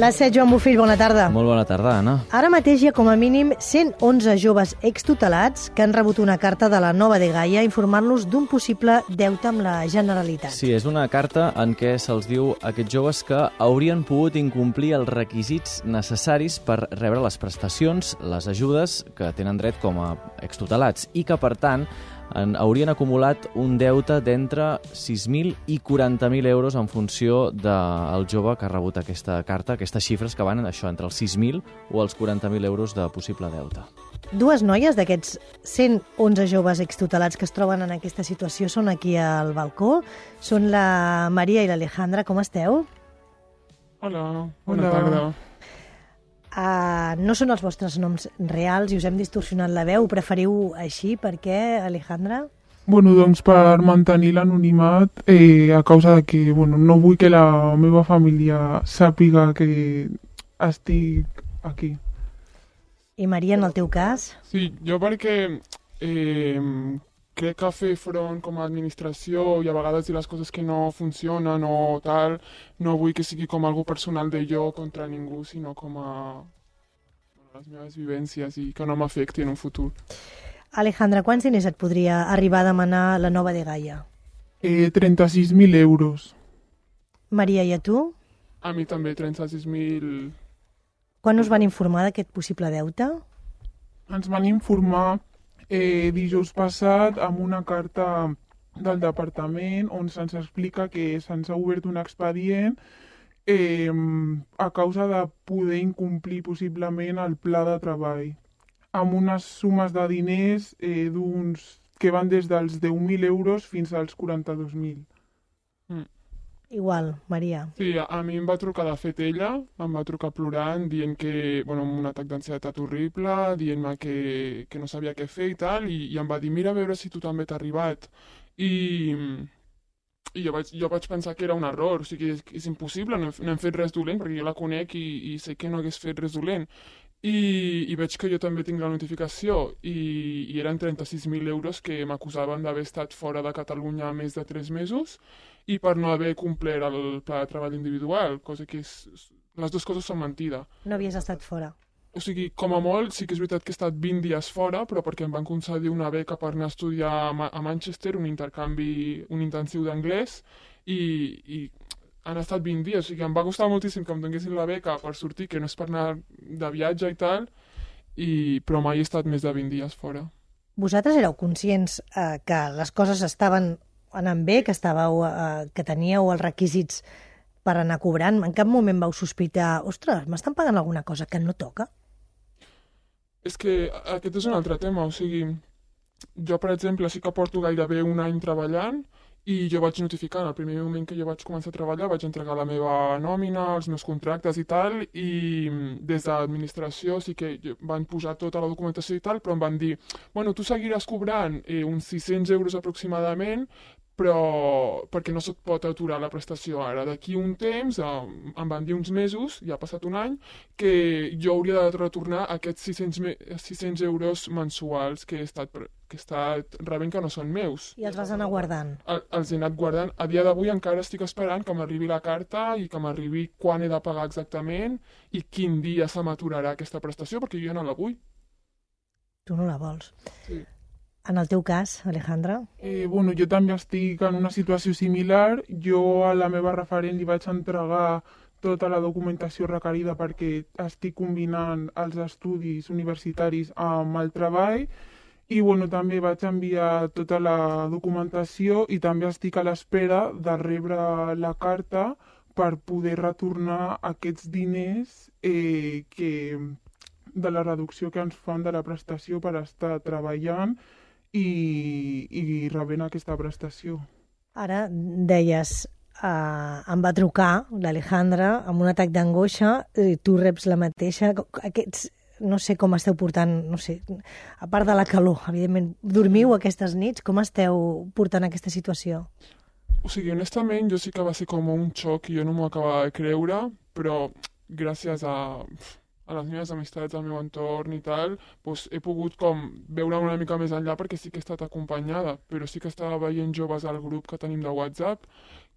L'A7, Joan Bofill, bona tarda. Molt bona tarda, Anna. Ara mateix hi ha com a mínim 111 joves extutelats que han rebut una carta de la Nova Dgaia informant-los d'un possible deute amb la Generalitat. Sí, és una carta en què se'ls diu a aquests joves que haurien pogut incomplir els requisits necessaris per rebre les prestacions, les ajudes que tenen dret com a extutelats i que, per tant, haurien acumulat un deute d'entre 6.000 i 40.000 euros en funció del jove que ha rebut aquesta carta, aquestes xifres que van això entre els 6.000 o els 40.000 euros de possible deute. Dues noies d'aquests 111 joves extutelats que es troben en aquesta situació són aquí al balcó. Són la Maria i l'Alejandra. Com esteu? Hola, bona tarda. No són els vostres noms reals i us hem distorsionat la veu. Ho preferiu així? Per què, Alejandra? Bueno, doncs per mantenir l'anonimat a causa de que no vull que la meva família sàpiga que estic aquí. I Maria, en el teu cas? Sí, jo perquè crec que fer front com a administració i a vegades dir les coses que no funcionen o tal, no vull que sigui com algo personal de jo contra ningú, sinó com a les meves vivències i que no m'afecti en un futur. Alejandra, quants diners et podria arribar a demanar la Nova Dgaia? 36.000 euros. Maria, i a tu? A mi també, 36.000. Quan us van informar d'aquest possible deute? Ens van informar dijous passat amb una carta del departament on se'ns explica que se'ns ha obert un expedient a causa de poder incomplir possiblement el pla de treball amb unes sumes de diners que van des dels 10.000 euros fins als 42.000. Igual, Maria. Sí, a mi em va trucar de fet ella, em va trucar plorant, dient que, amb un atac d'ansietat horrible, dient-me que no sabia què fer i tal, i em va dir, mira a veure si tu també t'ha arribat. I jo vaig pensar que era un error, o sigui, és impossible, no hem fet res dolent, perquè jo la conec i sé que no hagués fet res dolent. I veig que jo també tinc la notificació i eren 36.000 euros que m'acusaven d'haver estat fora de Catalunya més de 3 mesos i per no haver complert el pla de treball individual, cosa que les dues coses són mentida. No havies estat fora. O sigui, com a molt, sí que és veritat que he estat 20 dies fora, però perquè em van concedir una beca per anar a estudiar a Manchester, un intensiu d'anglès, i han estat 20 dies, o sigui, em va costar moltíssim que em donessin la beca per sortir, que no és per anar de viatge i tal, però mai he estat més de 20 dies fora. Vosaltres éreu conscients que les coses estaven anant bé, que teníeu els requisits per anar cobrant? En cap moment vau sospitar, ostres, m'estan pagant alguna cosa que no toca? És que aquest és un altre tema, o sigui, jo, per exemple, sí que porto gairebé un any treballant i jo vaig notificar, en el primer moment que jo vaig començar a treballar, vaig entregar la meva nòmina, els meus contractes i tal, i des de l'administració sí que van posar tota la documentació i tal, però em van dir, bueno, tu seguiràs cobrant uns 600 euros aproximadament, però perquè no se't pot aturar la prestació ara. D'aquí un temps, em van dir uns mesos, ja ha passat un any, que jo hauria de retornar aquests 600 euros mensuals que he estat rebent que no són meus. I els vas anar guardant? Els he anat guardant. A dia d'avui encara estic esperant que m'arribi la carta i que m'arribi quan he de pagar exactament i quin dia se m'aturarà aquesta prestació, perquè jo no la vull. Tu no la vols? Sí. En el teu cas, Alejandra? Jo també estic en una situació similar. Jo a la meva referent li vaig entregar tota la documentació requerida perquè estic combinant els estudis universitaris amb el treball i també vaig enviar tota la documentació i també estic a l'espera de rebre la carta per poder retornar aquests diners de la reducció que ens fan de la prestació per estar treballant i rebent aquesta prestació. Ara deies, em va trucar l'Alejandra amb un atac d'angoixa, tu reps la mateixa, no sé com esteu portant, no sé, a part de la calor, evidentment, dormiu aquestes nits, com esteu portant aquesta situació? O sigui, honestament, jo sí que va ser com un xoc i jo no m'ho acabava de creure, però gràcies a les meves amistats, al meu entorn i tal, doncs he pogut com veure una mica més enllà perquè sí que he estat acompanyada, però sí que estava veient joves al grup que tenim de WhatsApp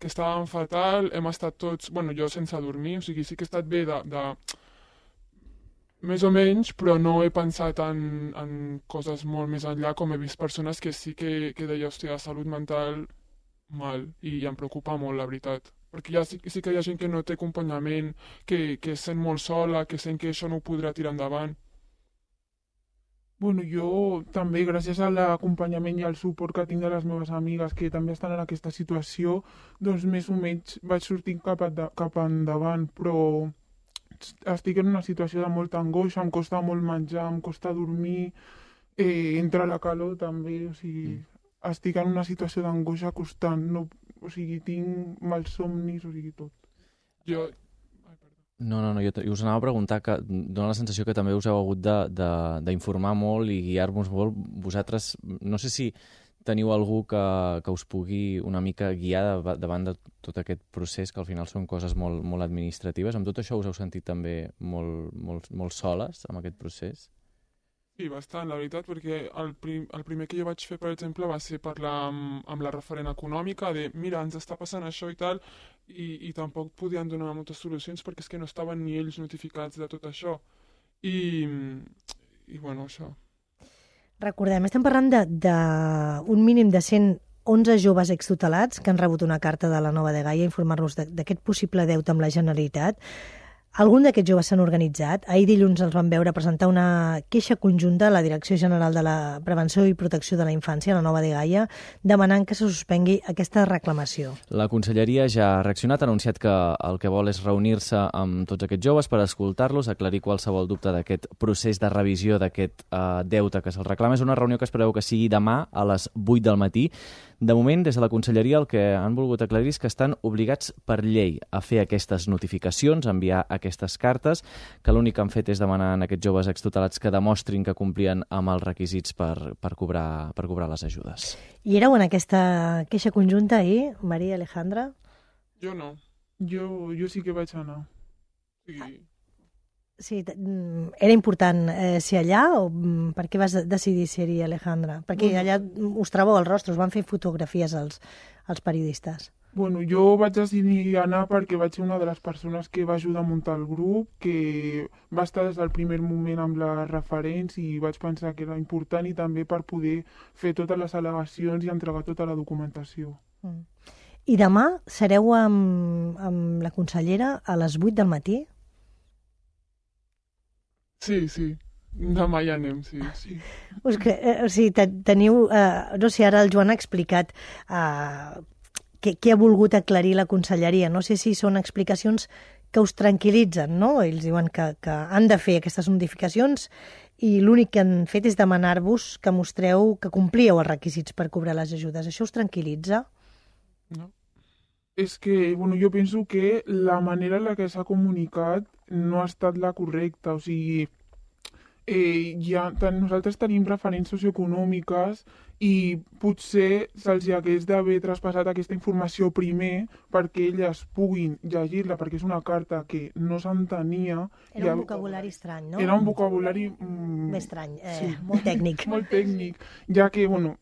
que estàvem fatal, hem estat tots, bueno, jo sense dormir, o sigui, sí que he estat bé de més o menys, però no he pensat en coses molt més enllà, com he vist persones que sí que deia, hòstia, salut mental mal, i em preocupa molt, la veritat. Perquè sí que hi ha gent que no té acompanyament, que es sent molt sola, que sent que això no ho podrà tirar endavant. Bueno, jo també, gràcies a l'acompanyament i al suport que tinc de les meves amigues que també estan en aquesta situació, doncs més o menys vaig sortir cap endavant, però estic en una situació de molta angoixa, em costa molt menjar, em costa dormir, entra la calor també, o sigui, estic en una situació d'angoixa constant, no, o sigui, tinc malsomnis, o sigui, tot. Jo... No, jo us anava a preguntar que dona la sensació que també us heu hagut d'informar molt i guiar-vos molt. Vosaltres, no sé si teniu algú que us pugui una mica guiar davant de tot aquest procés, que al final són coses molt, molt administratives. Amb tot això us heu sentit també molt soles amb aquest procés? Sí, bastant, la veritat, perquè el primer que jo vaig fer, per exemple, va ser parlar amb la referent econòmica de mira, ens està passant això i tal, i tampoc podien donar moltes solucions perquè és que no estaven ni ells notificats de tot això. I bueno, això. Recordem, estem parlant d'un mínim de 111 joves extutelats que han rebut una carta de la Nova de Gaia a informar-los d'aquest possible deute amb la Generalitat. Algun d'aquests joves s'han organitzat. Ahir dilluns els van veure presentar una queixa conjunta a la Direcció General de la Prevenció i Protecció de la Infància, la Nova de Gaia, demanant que se suspengui aquesta reclamació. La Conselleria ja ha reaccionat, ha anunciat que el que vol és reunir-se amb tots aquests joves per escoltar-los, aclarir qualsevol dubte d'aquest procés de revisió d'aquest deute que se'ls reclama. És una reunió que es preveu que sigui demà a les 8 del matí. De moment, des de la Conselleria, el que han volgut aclarir és que estan obligats per llei a fer aquestes notificacions, a enviar aquestes cartes, que l'únic que han fet és demanar a aquests joves extutelats que demostrin que complien amb els requisits per cobrar les ajudes. I éreu en aquesta queixa conjunta ahir, Maria Alejandra? Jo no. Jo sí que vaig anar. Sí. Sí, era important ser allà o per què vas decidir ser-hi, Alejandra? Perquè allà us trobeu el rostre, us van fer fotografies als periodistes. Bueno, jo vaig decidir anar perquè vaig ser una de les persones que va ajudar a muntar el grup, que va estar des del primer moment amb les referents i vaig pensar que era important i també per poder fer totes les al·legacions i entregar tota la documentació. I demà sereu amb la consellera a les 8 del matí? Sí. Demà ja anem, sí. O sigui, teniu... no sé, ara el Joan ha explicat què ha volgut aclarir la conselleria. No sé si són explicacions que us tranquil·litzen, no? Ells diuen que han de fer aquestes notificacions i l'únic que han fet és demanar-vos que mostreu que complíeu els requisits per cobrar les ajudes. Això us tranquil·litza? No. És que, bueno, jo penso que la manera en la que s'ha comunicat no ha estat la correcta, o sigui, nosaltres tenim referents socioeconòmiques i potser se'ls hagués d'haver traspassat aquesta informació primer perquè elles puguin llegir-la, perquè és una carta que no s'entenia. Era un vocabulari estrany, no? Era un vocabulari... Més estrany, sí. Molt tècnic. Molt tècnic, ja que, bueno,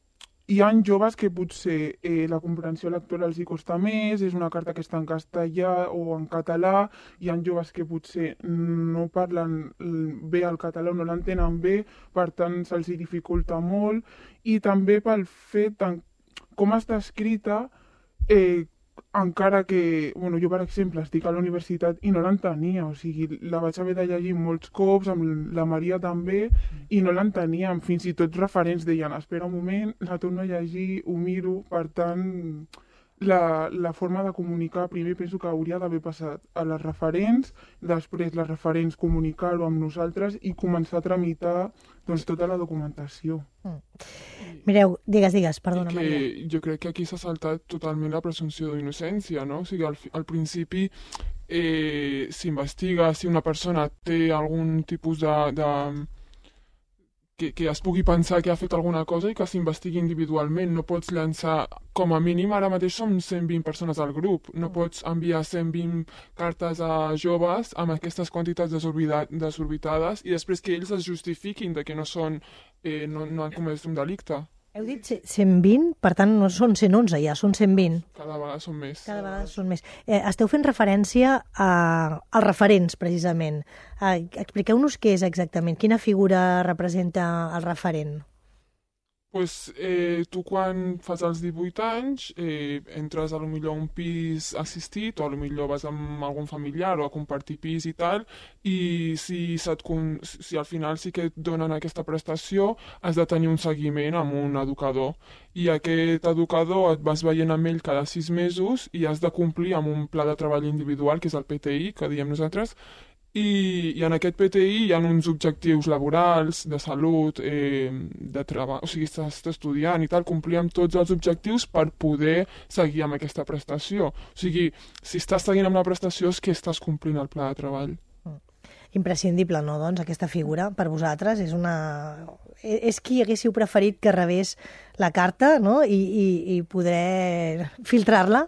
hi ha joves que potser la comprensió lectora els hi costa més, és una carta que està en castellà o en català, hi ha joves que potser no parlen bé el català o no l'entenen bé, per tant se'ls hi dificulta molt, i també pel fet com està escrita, encara que, bueno, jo per exemple estic a la universitat i no l'entenia, o sigui, la vaig haver de llegir molts cops, amb la Maria també, i no l'enteníem, fins i tot referents deien, espera un moment, la torno a llegir, ho miro, per tant, la forma de comunicar primer penso que hauria d'haver passat a les referents, després les referents comunicar-ho amb nosaltres i començar a tramitar doncs, tota la documentació. Mireu, digues, perdona, Maria. Jo crec que aquí s'ha saltat totalment la presumpció d'innocència, no? O sigui, al principi s'investiga si una persona té algun tipus que es pugui pensar que ha fet alguna cosa i que s'investigui individualment. No pots llançar, com a mínim, ara mateix som 120 persones al grup. No pots enviar 120 cartes a joves amb aquestes quantitats desorbitades i després que ells es justifiquin de que no han comès un delicte. Heu dit 120, per tant no són 111 ja, són 120. Cada vegada són més. Cada vegada són més. Esteu fent referència als referents, precisament. Expliqueu-nos què és exactament, quina figura representa el referent. Pues, tu quan fas els 18 anys entres a lo millor a un pis assistit o a lo millor vas amb algun familiar o a compartir pis i tal, i si al final sí que et donen aquesta prestació has de tenir un seguiment amb un educador, i aquest educador et vas veient amb ell cada 6 mesos i has de complir amb un pla de treball individual, que és el PTI, que diem nosaltres. I en aquest PTI hi ha uns objectius laborals, de salut, de treball, o sigui, estàs estudiant i tal, complir amb tots els objectius per poder seguir amb aquesta prestació. O sigui, si estàs seguint amb la prestació és que estàs complint el pla de treball. Imprescindible, no, doncs, aquesta figura per vosaltres? És qui haguéssiu preferit que rebés la carta, no?, i poder filtrar-la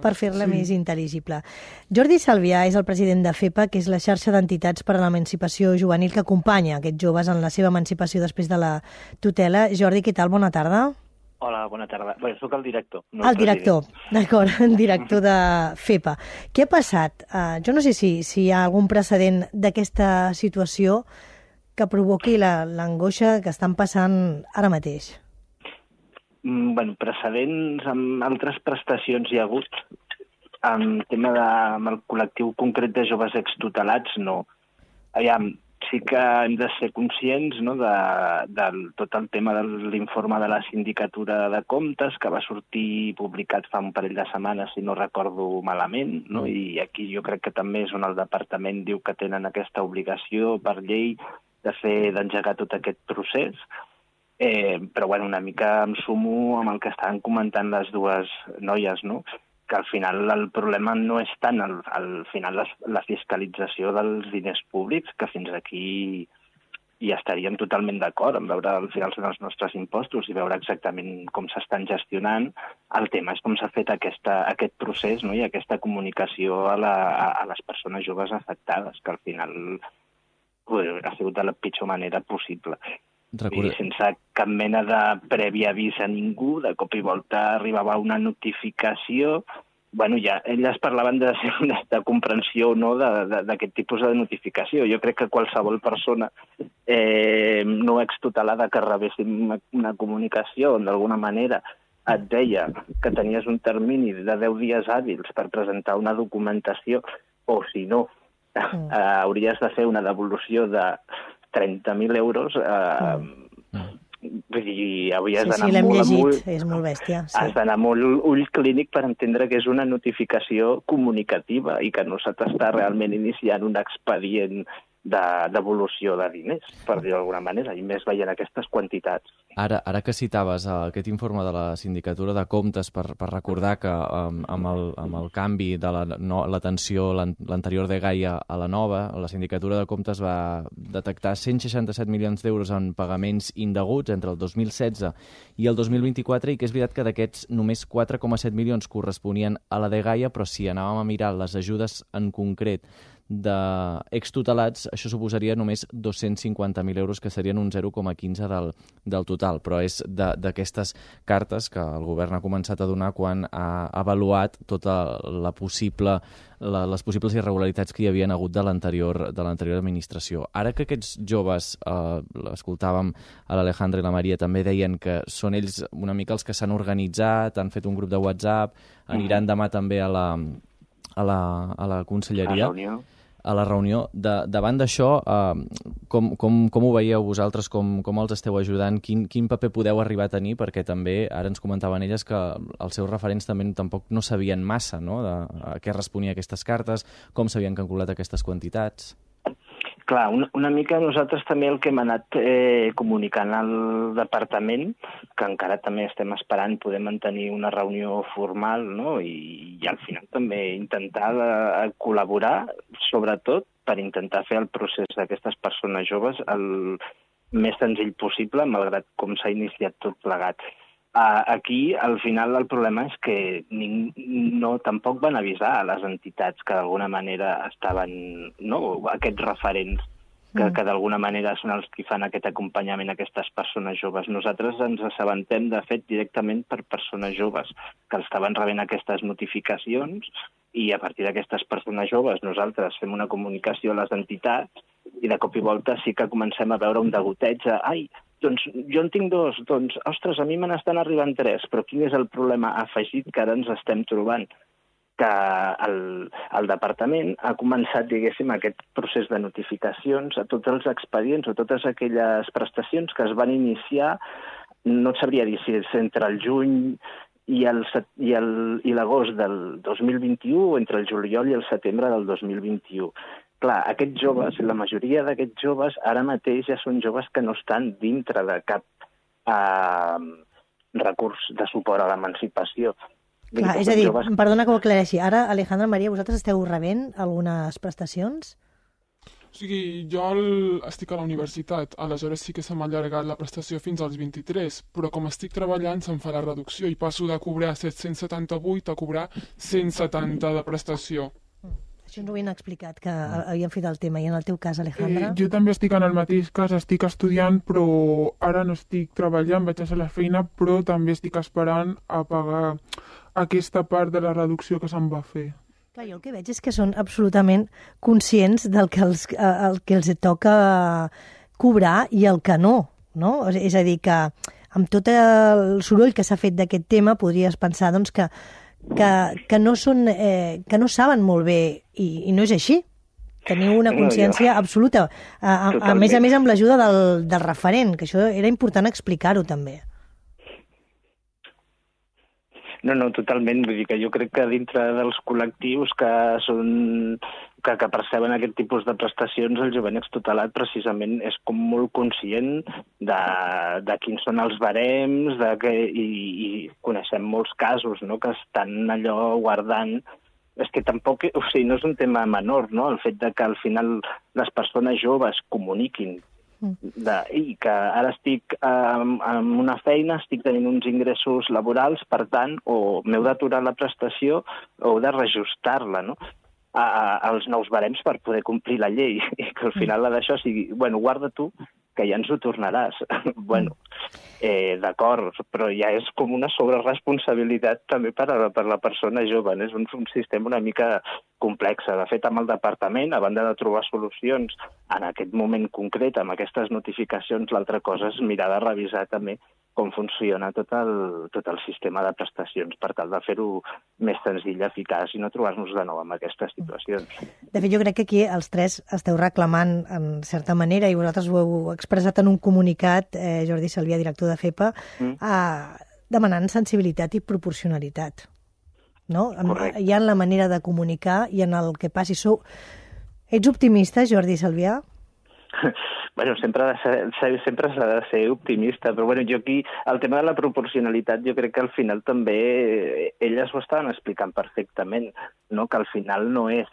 per fer-la més intel·ligible. Jordi Salvià és el president de FEPA, que és la xarxa d'entitats per a l'emancipació juvenil que acompanya aquests joves en la seva emancipació després de la tutela. Jordi, què tal? Bona tarda. Hola, bona tarda. Bé, soc el director. No el director, d'acord, el director de FEPA. Què ha passat? Jo no sé si hi ha algun precedent d'aquesta situació que provoqui l'angoixa que estan passant ara mateix. Bueno, precedents amb altres prestacions hi ha hagut. En tema amb el col·lectiu concret de joves extutelats, no. Aviam, sí que hem de ser conscients, no, de tot el tema de l'informe de la Sindicatura de Comptes, que va sortir publicat fa un parell de setmanes, si no recordo malament, no? I aquí jo crec que també és on el departament diu que tenen aquesta obligació per llei d'engegar tot aquest procés. Però bueno, una mica em sumo amb el que estaven comentant les dues noies, no?, que al final el problema no és tant al final la fiscalització dels diners públics, que fins aquí hi estaríem totalment d'acord en veure al final els nostres impostos i veure exactament com s'estan gestionant. El tema és com s'ha fet aquest procés, no?, i aquesta comunicació a les persones joves afectades, que al final ha sigut de la pitjor manera possible. I sense cap mena de previ avís a ningú, de cop i volta arribava una notificació. Bueno, ja elles parlaven de comprensió o no d'aquest tipus de notificació. Jo crec que qualsevol persona no extutelada que rebessin una comunicació on d'alguna manera et deia que tenies un termini de 10 dies hàbils per presentar una documentació, o si no, hauries de fer una devolució de 30.000 euros, vull dir, avui has d'anar molt amunt. És molt bèstia. Has d'anar molt ull clínic per entendre que és una notificació comunicativa i que no se t'està realment iniciant un expedient de devolució de diners, per dir-ho d'alguna manera, i més veient aquestes quantitats. Ara que citaves aquest informe de la Sindicatura de Comptes per recordar que amb el canvi de l'atenció, l'anterior de Gaia a la nova, la Sindicatura de Comptes va detectar 167 milions d'euros en pagaments indeguts entre el 2016 i el 2024, i que és veritat que d'aquests només 4,7 milions corresponien a la de Gaia, però si anàvem a mirar les ajudes en concret d'extutelats, això suposaria només 250.000 euros, que serien un 0,15 del total. Però és d'aquestes cartes que el govern ha començat a donar quan ha avaluat tota les possibles irregularitats que hi havien hagut de l'anterior administració. Ara que aquests joves, l'escoltàvem a l'Alejandra i la Maria, també deien que són ells una mica els que s'han organitzat, han fet un grup de WhatsApp, aniran demà també a la conselleria, a la reunió. Davant d'això, com ho veieu vosaltres, com els esteu ajudant, quin paper podeu arribar a tenir, perquè també ara ens comentaven elles que els seus referents també tampoc no sabien massa, no?, a què responia aquestes cartes, com s'havien calculat aquestes quantitats. Clar, una mica nosaltres també el que hem anat comunicant al departament, que encara també estem esperant poder mantenir una reunió formal, no?, i al final també intentar col·laborar, sobretot per intentar fer el procés d'aquestes persones joves el més senzill possible, malgrat com s'ha iniciat tot plegat. Aquí, al final, el problema és que tampoc van avisar a les entitats que d'alguna manera estaven, no?, aquests referents. que d'alguna manera són els que fan aquest acompanyament a aquestes persones joves. Nosaltres ens assabentem, de fet, directament per persones joves que estaven rebent aquestes notificacions i a partir d'aquestes persones joves nosaltres fem una comunicació a les entitats i de cop i volta sí que comencem a veure un degoteig de ai, doncs jo en tinc 2, doncs, ostres, a mi me n'estan arribant 3, però quin és el problema afegit que ara ens estem trobant? Que el departament ha començat, diguéssim, aquest procés de notificacions a tots els expedients o totes aquelles prestacions que es van iniciar, no et sabria dir si és entre el juny i l'agost del 2021 o entre el juliol i el setembre del 2021. Clar, aquests joves, la majoria d'aquests joves, ara mateix ja són joves que no estan dintre de cap recurs de suport a l'emancipació. Clar, és a dir, perdona que ho aclareixi, ara, Alejandra, Maria, vosaltres esteu rebent algunes prestacions? O sigui, jo estic a la universitat, aleshores sí que se m'ha allargat la prestació fins als 23, però com estic treballant se'm fa la reducció i passo de cobrar 778 a cobrar 170 de prestació. Això ens ho havien explicat, que havien fet el tema. I en el teu cas, Alejandra? Jo també estic en el mateix cas, estic estudiant, però ara no estic treballant, vaig a fer la feina, però també estic esperant a pagar aquesta part de la reducció que se'm va fer. Clar, jo el que veig és que són absolutament conscients del que el que els toca cobrar i el que no, no? És a dir, que amb tot el soroll que s'ha fet d'aquest tema podries pensar doncs, que no saben molt bé i no és així. Teniu una consciència absoluta. A més amb l'ajuda del referent, que això era important explicar-ho també. No, totalment. Vull dir que jo crec que dintre dels col·lectius que perceben aquest tipus de prestacions, el jovent extutelat precisament és com molt conscient de quins són els barems i coneixem molts casos, no?, que estan allò guardant. És que tampoc, o sigui, no és un tema menor, no?, el fet de que al final les persones joves comuniquin i que ara estic en una feina, estic tenint uns ingressos laborals, per tant, o m'heu d'aturar la prestació o heu de reajustar-la, no?, als nous barems per poder complir la llei. I que al final d'això sigui, bueno, guarda tu, que ja ens ho tornaràs. Bueno, d'acord, però ja és com una sobreresponsabilitat també per a la persona jove. És un sistema una mica complex. De fet, amb el departament, a banda de trobar solucions en aquest moment concret, amb aquestes notificacions, l'altra cosa és mirar de revisar també com funciona tot el sistema de prestacions per tal de fer-ho més senzill, eficaç i no trobar-nos de nou amb aquestes situacions. De fet, jo crec que aquí els tres esteu reclamant en certa manera, i vosaltres ho heu expressat en un comunicat, Jordi Salvià, director de FEPA, demanant sensibilitat i proporcionalitat. No? Hi ha en la manera de comunicar i en el que passi. Ets optimista, Jordi Salvià? Bueno, sempre s'ha de ser optimista, però bueno, jo aquí, el tema de la proporcionalitat, jo crec que al final també elles ho estaven explicant perfectament, no?, que al final no és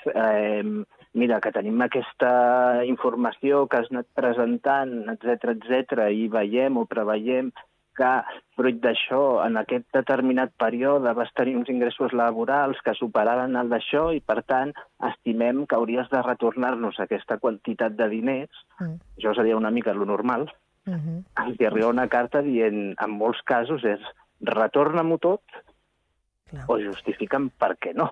mira, que tenim aquesta informació que has anat presentant, etc, i veiem o preveiem que, fruit d'això, en aquest determinat període vas tenir uns ingressos laborals que superaran el d'això i, per tant, estimem que hauries de retornar-nos aquesta quantitat de diners. Això seria una mica lo normal. Els arriba una carta dient, en molts casos, és retorna-m'ho tot o justifica'm per què no.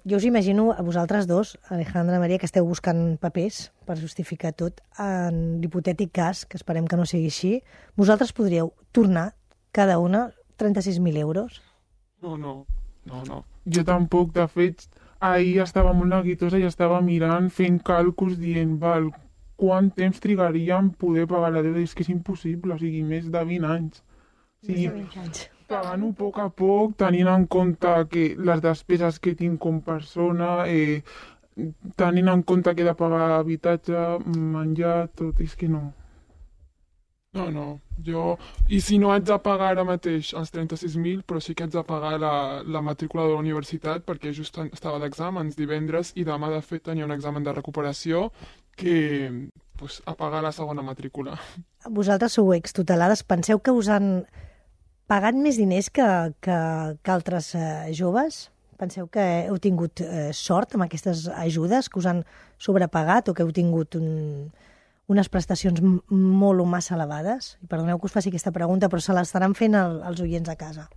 Jo us imagino a vosaltres dos, Alejandra, Maria, que esteu buscant papers per justificar tot. En l'hipotètic cas, que esperem que no sigui així, vosaltres podríeu tornar cada una 36.000 euros? No. Jo tampoc, de fet, ahir estava molt neguitosa i estava mirant, fent càlculs, dient, val, quant temps trigaria en poder pagar la deuda? És que és impossible, o sigui, més de 20 anys. O sigui, més de 20 anys. Pagant-ho a poc, tenint en compte que les despeses que tinc com persona, tenint en compte que he de pagar habitatge, menjar, tot, és que no. No, I si no haig de pagar ara mateix els 36.000, però sí que haig de pagar la matrícula de la universitat, perquè just estava d'exàmens divendres i demà, de fet, tenia un examen de recuperació que a pagar la segona matrícula. Vosaltres sou extutelades, penseu que us han pagat més diners que altres joves? Penseu que heu tingut sort amb aquestes ajudes, que us han sobrepagat o que heu tingut unes prestacions molt o massa elevades? I perdoneu que us faci aquesta pregunta, però se l'estaran fent els oients a casa.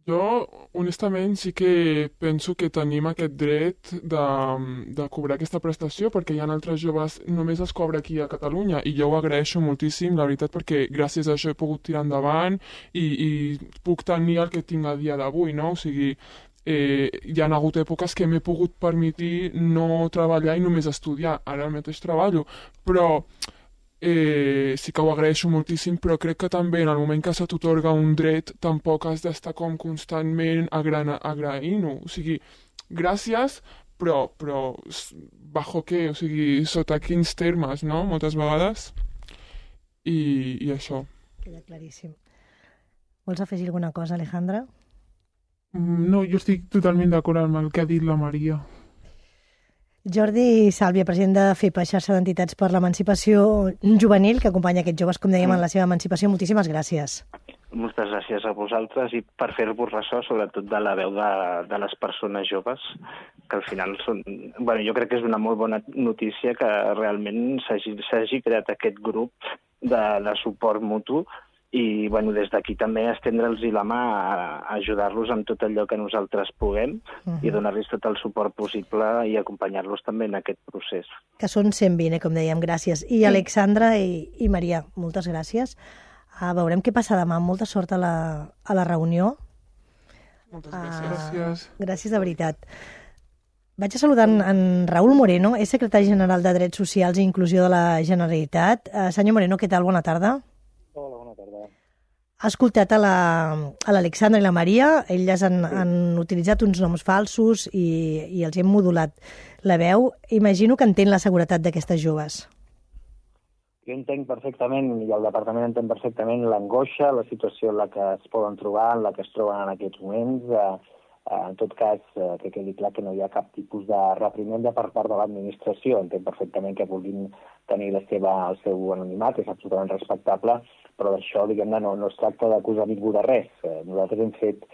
Jo, honestament, sí que penso que tenim aquest dret de cobrar aquesta prestació perquè hi ha altres joves, només es cobra aquí a Catalunya i jo ho agraeixo moltíssim, la veritat, perquè gràcies a això he pogut tirar endavant i puc tenir el que tinc a dia d'avui, no? O sigui, hi ha hagut èpoques que m'he pogut permetir no treballar i només estudiar. Ara mateix treballo, però sí que ho agraeixo moltíssim, però crec que també en el moment que se t'atorga un dret tampoc has d'estar com constantment agraint-ho. O sigui, gràcies, però bajo què? O sigui, sota quins termes, no? Moltes vegades. I això. Queda claríssim. Vols afegir alguna cosa, Alejandra? No, jo estic totalment d'acord amb el que ha dit la Maria. Jordi Sàlvia, president de FEPA, xarxa d'entitats per l'emancipació juvenil, que acompanya aquests joves, com dèiem, en la seva emancipació. Moltíssimes gràcies. Moltes gràcies a vosaltres i per fer-vos ressò, sobretot de la veu de les persones joves, que al final són... Bueno, jo crec que és una molt bona notícia que realment s'hagi creat aquest grup de suport mutu i bueno, des d'aquí també estendre'ls la mà a ajudar-los amb tot allò que nosaltres puguem i donar-los tot el suport possible i acompanyar-los també en aquest procés. Que són 120, com dèiem, gràcies. I Alexandra i Maria, moltes gràcies. Veurem què passa demà. Molta sort a la reunió. Moltes gràcies. Gràcies de veritat. Vaig a saludar en Raúl Moreno, és secretari general de Drets Socials i Inclusió de la Generalitat. Senyor Moreno, què tal? Bona tarda. Hola, bona tarda. Ha escoltat a l'Alexandra i la Maria, elles han utilitzat uns noms falsos i els hem modulat la veu. Imagino que entén la seguretat d'aquestes joves. Jo entenc perfectament, i el departament entén perfectament l'angoixa, la situació en la que es poden trobar, en la que es troben en aquests moments. En tot cas, que quedi clar que no hi ha cap tipus de reprimenda per part de l'administració. Entenc perfectament que vulguin tenir el seu anonimat, és absolutament respectable, però d'això, diguem-ne, no es tracta d'acusar ningú de res. Nosaltres hem fet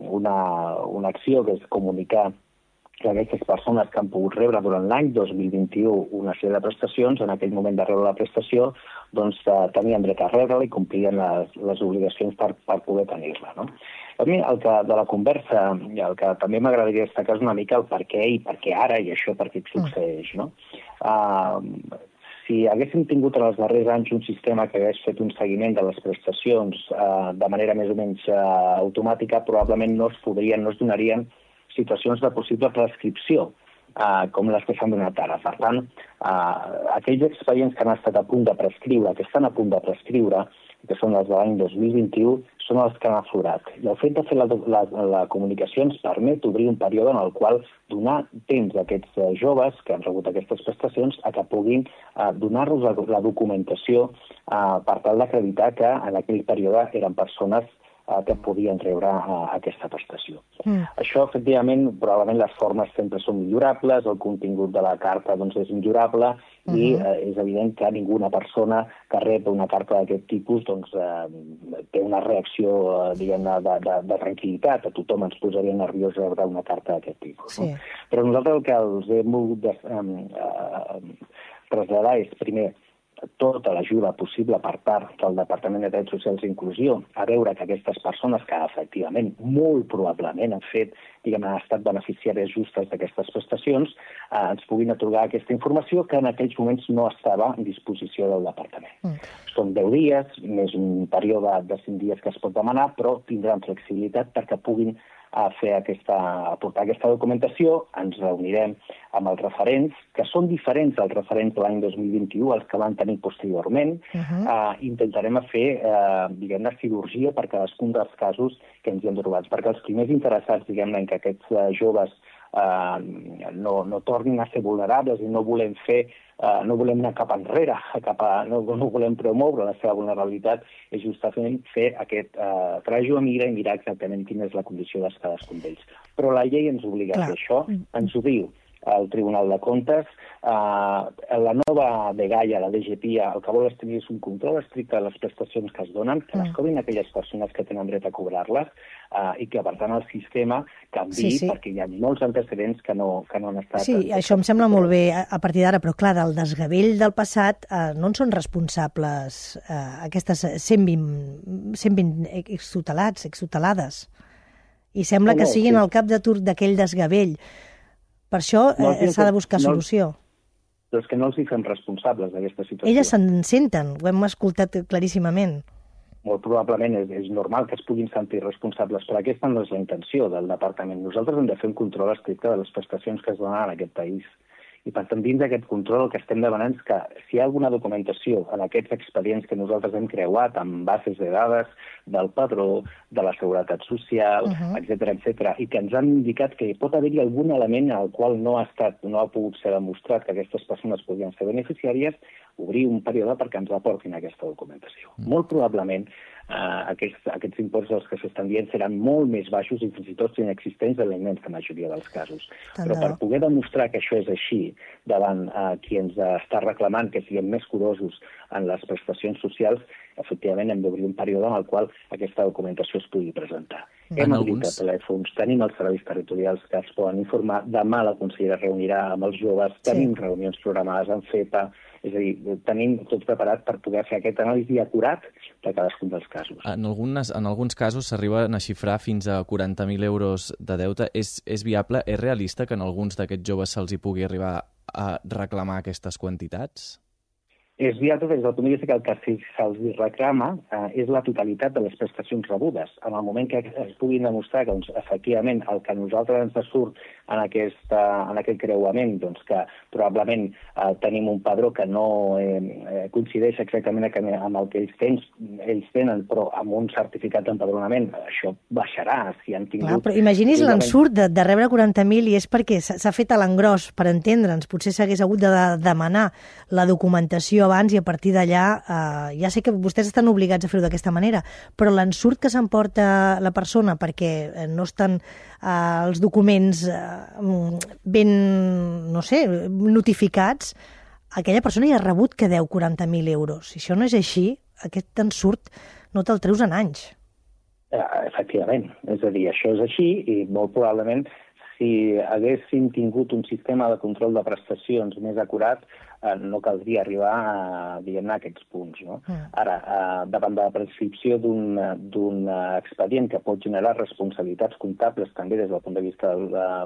una acció que és comunicar que aquestes persones que han pogut rebre durant l'any 2021 una sèrie de prestacions, en aquell moment de rebre la prestació, doncs tenien dret a rebre-la i complien les obligacions per poder tenir-la, no? A mi, de la conversa, el que també m'agradaria destacar és una mica el per què i per què ara i això per què succeeix, no? Si haguéssim tingut en els darrers anys un sistema que hagués fet un seguiment de les prestacions de manera més o menys automàtica, probablement no es donarien situacions de possible prescripció, com les que s'han donat ara. Per tant, aquells expedients que han estat a punt de prescriure, que estan a punt de prescriure, que són els de l'any 2021, són els que han aflorat. I el fet de fer la comunicació ens permet obrir un període en el qual donar temps a aquests joves que han rebut aquestes prestacions a que puguin donar-los la documentació per tal d'acreditar que en aquell període eren persones que podien rebre aquesta prestació. Això, efectivament, probablement les formes sempre són millorables, el contingut de la carta és millorable i és evident que ninguna persona que rep una carta d'aquest tipus té una reacció, diguem-ne, de tranquil·litat. A tothom ens posaria nerviós rebre una carta d'aquest tipus. Sí. Però nosaltres el que els hem volgut traslladar és, primer, tota l'ajuda possible per part del Departament de Drets Socials i Inclusió a veure que aquestes persones que efectivament, molt probablement han estat beneficiàries justes d'aquestes prestacions, ens puguin atorgar aquesta informació que en aquells moments no estava a disposició del Departament. Són 10 dies, més un període de 5 dies que es pot demanar, però tindran flexibilitat perquè puguin aportar aquesta documentació. Ens reunirem amb els referents, que són diferents dels referents de l'any 2021, els que van tenir posteriorment. Intentarem fer, diguem-ne, cirurgia per cadascun dels casos que ens hi hem trobat, perquè els primers interessats, diguem-ne, en que aquests joves no tornin a ser vulnerables i no volem anar cap enrere, no volem promoure la seva vulnerabilitat, és justament fer aquest trajo a mirar i mirar exactament quina és la condició de cadascun d'ells. Però la llei ens obliga a fer això, ens ho diu. al Tribunal de Comptes. La nova dgaia, la DGPIA, el que vol establir és un control estricte de les prestacions que es donen, que les cobrin aquelles persones que tenen dret a cobrar-les, i que, per tant, el sistema canviï, perquè hi ha molts antecedents que no han estat... Sí, això em sembla molt bé a partir d'ara, però clar, del desgavell del passat no en són responsables aquestes 120 extutelades. I sembla que siguin al cap de turc d'aquell desgavell. Per això s'ha de buscar solució. Però és que no els hi fem responsables d'aquesta situació. Elles se'n senten, ho hem escoltat claríssimament. Molt probablement és normal que es puguin sentir responsables, però aquesta no és la intenció del departament. Nosaltres hem de fer un control estricte de les prestacions que es donen en aquest país. I per tant, dins d'aquest control, el que estem demanant és que si hi ha alguna documentació en aquests expedients que nosaltres hem creuat amb bases de dades del padró, de la seguretat social, etc., i que ens han indicat que pot haver-hi algun element al qual no ha pogut ser demostrat que aquestes persones podien ser beneficiàries, obrir un període perquè ens aportin aquesta documentació. Molt probablement aquests imports dels que s'estan dient seran molt més baixos i fins i tot inexistents en la immensa majoria dels casos. Però per poder demostrar que això és així davant qui ens està reclamant que siguem més curosos en les prestacions socials, efectivament hem d'obrir un període en el qual aquesta documentació es pugui presentar. Hem obrit telèfons, tenim els serveis territorials que es poden informar, demà la consellera reunirà amb els joves, tenim reunions programades amb FEPA, és a dir, tenim tot preparat per poder fer aquest anàlisi acurat de cadascun dels casos. En alguns casos s'arriben a xifrar fins a 40.000 euros de deute. És viable, és realista que en alguns d'aquests joves se'ls hi pugui arribar a reclamar aquestes quantitats? És viable des del punt de vista que el que se'ls reclama és la totalitat de les prestacions rebudes. En el moment que es puguin demostrar que, efectivament, el que a nosaltres ens surt en aquest creuament, que probablement tenim un padró que no coincideix exactament amb el que ells tenen, però amb un certificat d'empadronament, això baixarà si han tingut... Clar, però imagini's l'ensurt de rebre 40.000 i és perquè s'ha fet a l'engròs, per entendre'ns. Potser s'hagués hagut de demanar la documentació abans i a partir d'allà, ja sé que vostès estan obligats a fer-ho d'aquesta manera, però l'ensurt que s'emporta la persona perquè no estan els documents ben, no sé, notificats, aquella persona ja ha rebut que deu 40.000 euros. Si això no és així, aquest ensurt no te'l treus en anys. Efectivament, és a dir, això és així i molt probablement si haguéssim tingut un sistema de control de prestacions més acurat, no caldria arribar a aquests punts. No? Ara, davant de la prescripció d'un expedient que pot generar responsabilitats comptables també des del punt de vista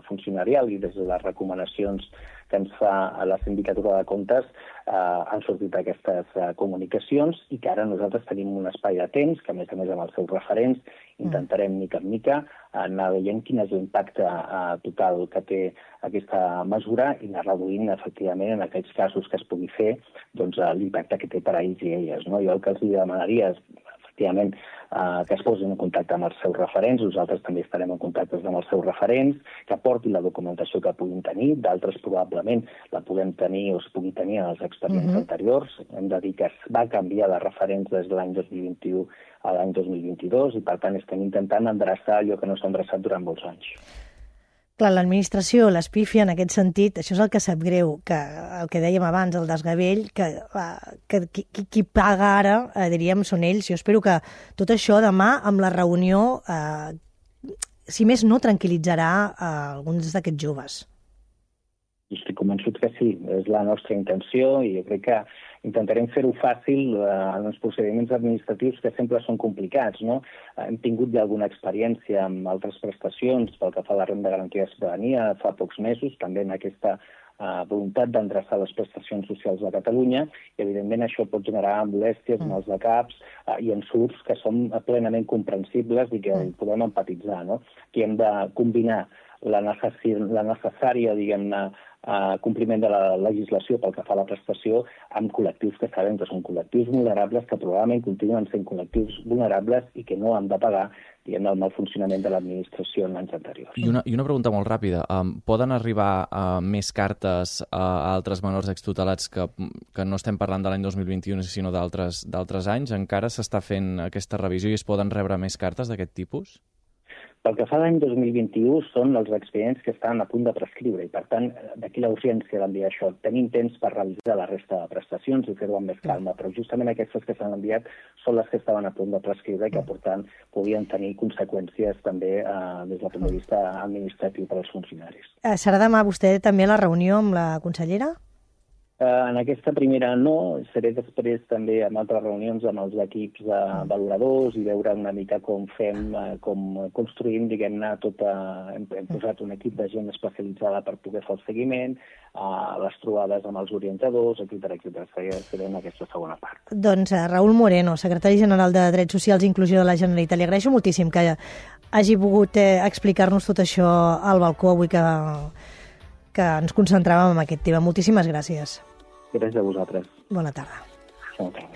funcionarial i des de les recomanacions que ens fa la Sindicatura de Comptes, han sortit aquestes comunicacions i que ara nosaltres tenim un espai de temps que, a més amb els seus referents, intentarem mica en mica anar veient quin és l'impacte total que té aquesta mesura i anar reduint efectivament en aquells casos que es pugui fer l'impacte que té per a ells i elles. Jo el que els demanaria és efectivament que es posin en contacte amb els seus referents, nosaltres també estarem en contacte amb els seus referents, que portin la documentació que puguin tenir, d'altres probablement la puguem tenir o es pugui tenir en els expedients anteriors. Hem de dir que es va canviar de referents des de l'any 2021 a l'any 2022 i per tant estem intentant endreçar allò que no s'ha endreçat durant molts anys. Clar, l'administració, l'espífia, en aquest sentit, això és el que sap greu, que el que dèiem abans, el desgavell, que qui paga ara, diríem, són ells. Jo espero que tot això demà, amb la reunió, si més no, tranquil·litzarà alguns d'aquests joves. Estic convençut que sí, és la nostra intenció i jo crec que intentarem fer-ho fàcil en els procediments administratius que sempre són complicats. No? Hem tingut ja alguna experiència amb altres prestacions pel que fa a la renda garantida de ciutadania fa pocs mesos, també en aquesta voluntat d'endreçar les prestacions socials de Catalunya i evidentment això pot generar molèsties, mals de caps i ensurts que són plenament comprensibles i que podem empatitzar. No? Aquí hem de combinar la necessària, diguem-ne, compliment de la legislació pel que fa a la prestació amb col·lectius que sabem que són col·lectius vulnerables, que probablement continuen sent col·lectius vulnerables i que no han de pagar el mal funcionament de l'administració en anys anteriors. I una pregunta molt ràpida. Poden arribar més cartes a altres menors extutelats que no estem parlant de l'any 2021 sinó d'altres anys? Encara s'està fent aquesta revisió i es poden rebre més cartes d'aquest tipus? Pel que fa a l'any 2021 són els expedients que estan a punt de prescriure i, per tant, d'aquí la urgència d'enviar això. Tenim temps per revisar la resta de prestacions i fer-ho amb més calma, però justament aquestes que s'han enviat són les que estaven a punt de prescriure i que, per tant, podien tenir conseqüències també des del punt de vista administratiu per als funcionaris. Serà demà vostè també a la reunió amb la consellera? En aquesta primera no, seré després també en altres reunions amb els equips valoradors i veure una mica com fem, com construïm, diguem-ne, hem posat un equip de gent especialitzada per poder fer el seguiment, les trobades amb els orientadors, etcètera. Seré en aquesta segona part. Doncs Raül Moreno, secretari general de Drets Socials i Inclusió de la Generalitat, li agraeixo moltíssim que hagi pogut explicar-nos tot això al balcó avui que ens concentràvem en aquest tema. Moltíssimes gràcies. Gràcies a vosaltres. Bona tarda. Bona tarda.